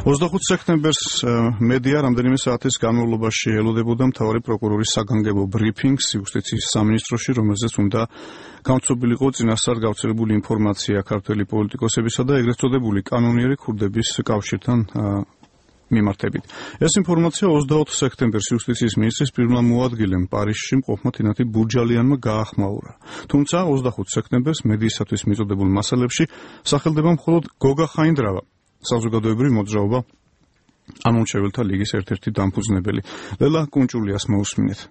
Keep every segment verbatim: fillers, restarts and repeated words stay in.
ოცდახუთი სექტემბერს მედია რამდენიმე საათის განმავლობაში ელოდებოდა მთავარი პროკურორის საგანგებო ბრიფინგს იუსტიციის სამინისტროში, რომელზეც უნდა გამოცდილიყო წინასწარ გავრცელებული ინფორმაცია ქართველი პოლიტიკოსებისა და ეგრეთ წოდებული კანონიერი ქურდების კავშირთან მიმართებით. ეს ინფორმაცია ოცდაოთხ სექტემბერს იუსტიციის მინისტრის პირველმა მოადგილემ პარიზში მყოფმა თინათი ბურჯალიანმა გაახმაურა. თუმცა ოცდახუთი სექტემბერს მედიისათვის მიწოდებულ მასალებში სახელდება მხოლოდ გოგა ხაინდრავა, საზოგადოებრივი მოძრაობა ამომრჩეველთა ლიგის ერთ-ერთი დამფუძნებელი. ლელა კუნჭულიას მოусმინეთ.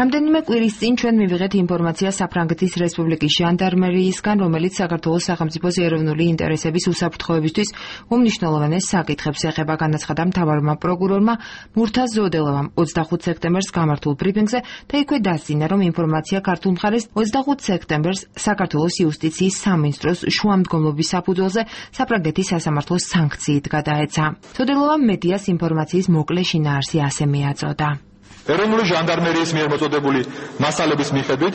რამდენიმე კვირის წინ ჩვენ მივიღეთ ინფორმაცია საფრანგეთის რესპუბლიკის ჟანდარმერიისგან, რომელიც საქართველოს სახელმწიფოს ეროვნული ინტერესების უსაფრთხოებისთვის უმნიშვნელოვანეს საკითხებს ეხება, განაცხადა მთავარმა პროკურორმა მურთაზ ზოდელოვამ ოცდახუთი სექტემბერს გამართულ ბრიფინგზე და იქვე დასძინა, რომ ინფორმაცია ქართულ მხარეს ოცდახუთი სექტემბერს საქართველოს იუსტიციის სამინისტროს შუამდგომლობის საფუძველზე საფრანგეთის სასამართლოს სანქციით გადაეცა. ზოდელოვამ მედიას ინფორმაციის მოკლე შინაარსი ასე მიაწოდა. ეროვნული ჟანდარმერიის მიერ მოწოდებული მასალების მიხედვით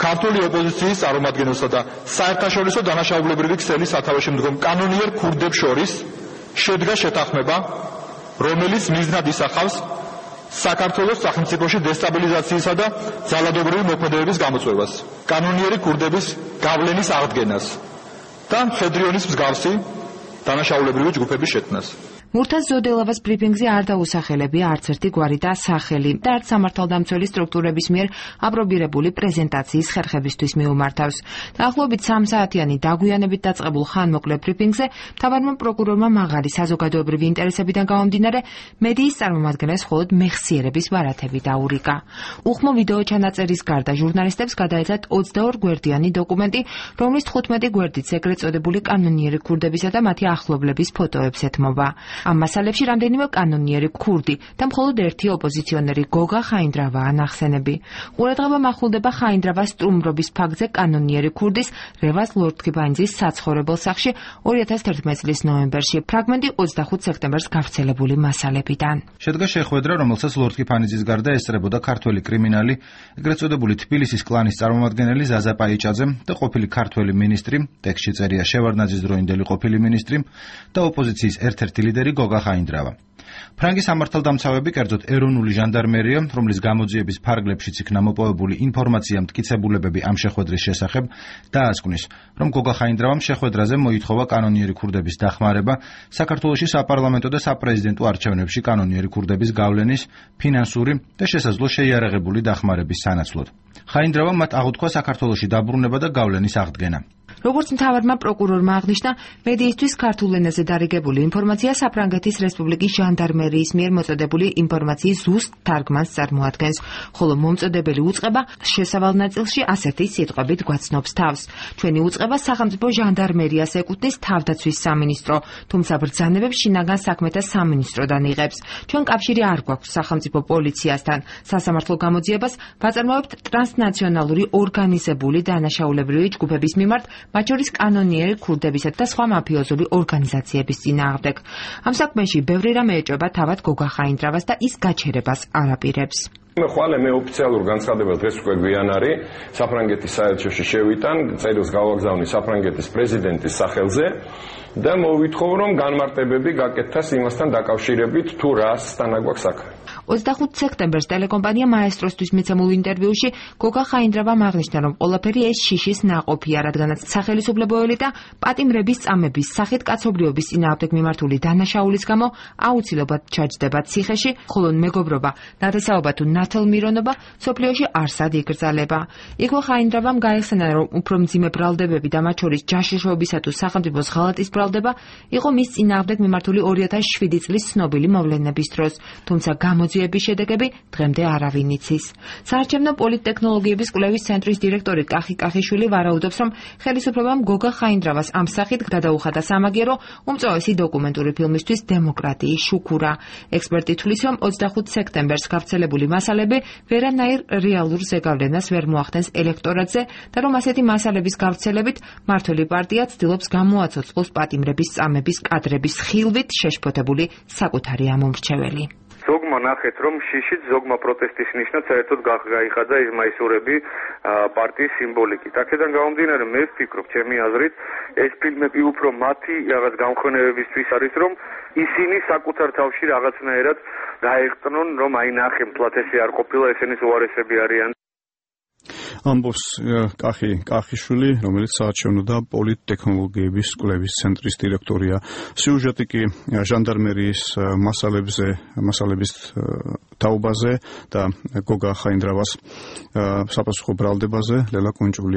ქართული ოპოზიციის წარმომადგენელსა და საერთაშორისო დანაშაულებრივი ქსელის სათავეში მდგომ კანონიერ ქურდებს შორის შედგა შეთანხმება, რომელიც მიზნად ისახავს საქართველოს სახელმწიფოში დესტაბილიზაციისა და ძალადობრივი მოქმედებების გამოწვევას, კანონიერი ქურდების გავლენის აღდგენას და მხედრიონის მსგავსი დანაშაულებრივი ჯგუფების შექმნას. მურთაზ ზოდელოვას ბრიფინგზე არ დაუსახელებია არც ერთი გვარი და სახელი და არც სამართალდამცველი სტრუქტურების მიერ აპრობირებული პრეზენტაციის ხერხებისთვის მიუმართავს. დაახლოებით სამ საათიანი დაგვიანებით დაწყებულ ხანმოკლე ბრიფინგზე მთავარმა პროკურორმა მაღალი საზოგადოებრივი ინტერესებიდან გამომდინარე მედიის წარმომადგენლებს მხოლოდ მეხსიერების ბარათები დაურიგა. უხმო ვიდეო ჩანაწერის გარდა ჟურნალისტებს გადაეცათ ოცდაორ გვერდიანი დოკუმენტი, რომლის თხუთმეტი გვერდიც ეგრეთ წოდებული კანონიერი ქურდებისა და მათი ახლობლების ფოტოებს ეთმობა. ამ მასალებში რამდენიმე კანონიერი ქურდი და მხოლოდ ერთი ოპოზიციონერი გოგა ხაინდრავაა ნახსენები. ყურადღება მახულდება ხაინდრავას სტრუმრობის ფაქტზე კანონიერი ქურდის რევაზ ლორთქიფანიძის საცხოვრებელ სახლში ორი ათას თერთმეტი წლის ნოემბერში. ფრაგმენტი ოცდახუთი სექტემბერს გავრცელებული მასალებიდან. შედგა შეხვედრა, რომელსაც ლორთქიფანიძის გარდა ესწრებოდა ქართველი კრიმინალი, ეგრეთ წოდებული თბილისის კლანის წარმომადგენელი ზაზა პაიჭაძე და ყოფილი ქართველი მინისტრი, ტექსტში წერია შევარდნაძის დროინდელი ყოფილი მინისტრი და ოპოზიციის ერთ-ერთი ლიდერი გოგა ხაინდრავა. ფრანგი სამართალდამცავები, კერძოდ ეროვნული ჟანდარმერია, რომლის გამოძიების ფარგლებშიც იქნა მოპოვებული ინფორმაცია მტკიცებულებები ამ შეხვედრის შესახებ, დაასკვნის, რომ გოგა ხაინდრავამ შეხვედრაზე მოითხოვა კანონიერი ქურდების დახმარება საქართველოში საპარლამენტო და საპრეზიდენტო არჩევნებში კანონიერი ქურდების გავლენის, ფინანსური და შესაძლო შეიარაღებული დახმარების სანაცვლოდ. ხაინდრავამ მათ აღუთქვა საქართველოში დაბრუნება და გავლენის აღდგენა. როგორც მთავარმა პროკურორმა აღნიშნა, მედიისთვის ქართულ ენაზე დარიგებული ინფორმაცია საფრანგეთის რესპუბლიკის ჟანდარმერიის მიერ მოწოდებული ინფორმაციის ზუსტ თარგმანს წარმოადგენს, ხოლო მომწოდებელი უწყება შესავალ ნაწილში ასეთი სიტყვებით გვაცნობს თავს. ჩვენი უწყება სახელმწიფო ჟანდარმერიას ეკუთვნის თავდაცვის სამინისტრო, თუმცა ბრძანებებს შინაგან საქმეთა სამინისტროდან იღებს. ჩვენ კავშირი არ გვაქვს სახელმწიფო პოლიციასთან. სასამართლო გამოძიებას ვაწარმოებთ ტრანსნაციონალური ორგანიზებული დანაშაულებრივი ჯგუფების მიმართ, მათ შორის კანონიერი ქურდებისა და სხვა მაფიოზული ორგანიზაციების წინააღმდეგ. ამ საქმეში ბევრი რამე ეჭვება თავად გოგა ხაინდრავას და ის გაჩერებას არ აპირებს. ხვალე მე ოფიციალურ განცხადებას დღეს უკვე გვიანარი საფრანგეთის საელჩოში შევიტან, წერილს გავაგზავნი საფრანგეთის პრეზიდენტის სახელზე და მოვითხოვ, რომ განმარტებები გაკეთას იმასთან დაკავშირებით, თუ რასთან აგვაქვს საქმე. ოცდახუთი სექტემბერს ტელეკომპანია მაესტროსთვის მიცემულ ინტერვიუში გოგა ხაინდრავამ აღნიშნა, რომ ყველაფერი ეს შიშის ნაყოფია, რადგანაც სახელისუფლებო ელიტა პატიმრების წამების სახით კაცობრიობის წინააღმდეგ მიმართული დანაშაულის გამო აუცილებლად ჩაჯდება ციხეში, ხოლო მეგობრობა, ნათესაობა თუ ნათელმირონობა სოფლიოში არსად იკრძალება. იქვე ხაინდრავამ გაიხსენა, რომ უფრო მძიმე ბრალდებები და მათ შორის ჯაშუშობისა თუ სახელმწიფოს ღალატის ბრალდება იყო მის წინააღმდეგ მიმართული ორი ათას შვიდი წლის ცნობილი მოვლენების დროს, თუმცა გამოძიების შედეგები დღემდე არავინ იცის. საარჩევნო პოლიტტექნოლოგიების კვლევის ცენტრის დირექტორი კახი კახიშვილი ვარაუდობს, რომ ხელისუფლებამ გოგა ხაინდრავას ამ სახით გადაუხადა სამაგერო უმწვავესი დოკუმენტური ფილმისთვის დემოკრატიის შუქურა. ექსპერტი თვლის, რომ ოცდახუთი სექტემბერს გავრცელებული მასალები ვერანაირ რეალურ ზეგავლენას ვერ მოახდენს ელექტორატზე და რომ ასეთი მასალების გავრცელებით მმართველი პარტია ცდილობს გამოაცოცხლოს პატიმრების წამების კადრების ხილვით შეშფოთებული საკუთარი ამომრჩეველი. ზოგმა ნახეთ, რომ შიშით ზოგმა პროტესტის ნიშნად საერთოდ გაიხადა ეს მაისურები პარტიის სიმბოლიკით. აქედან გამომდინარე, მე ვფიქრობ, ჩემი აზრით, ეს ფილმები უფრო მათი რაღაც გამხნევებისთვის არის, რომ ისინი საკუთარ თავში რაღაცნაირად გაეღწნონ, რომ აი ნახე, მთლად ესე არ ყოფილა, ესენის უარესები არიან. ამბობს კახი კახიშვილი, რომელიც საარჩევნო და პოლიტტექნოლოგიების კვლევის ცენტრის დირექტორია. სიუჟეტი კი ჟანდარმერიის მასალებზე, მასალების თაობაზე და გოგა ხაინდრავას საპასუხო ბრალდებაზე, ლელა კუნჭული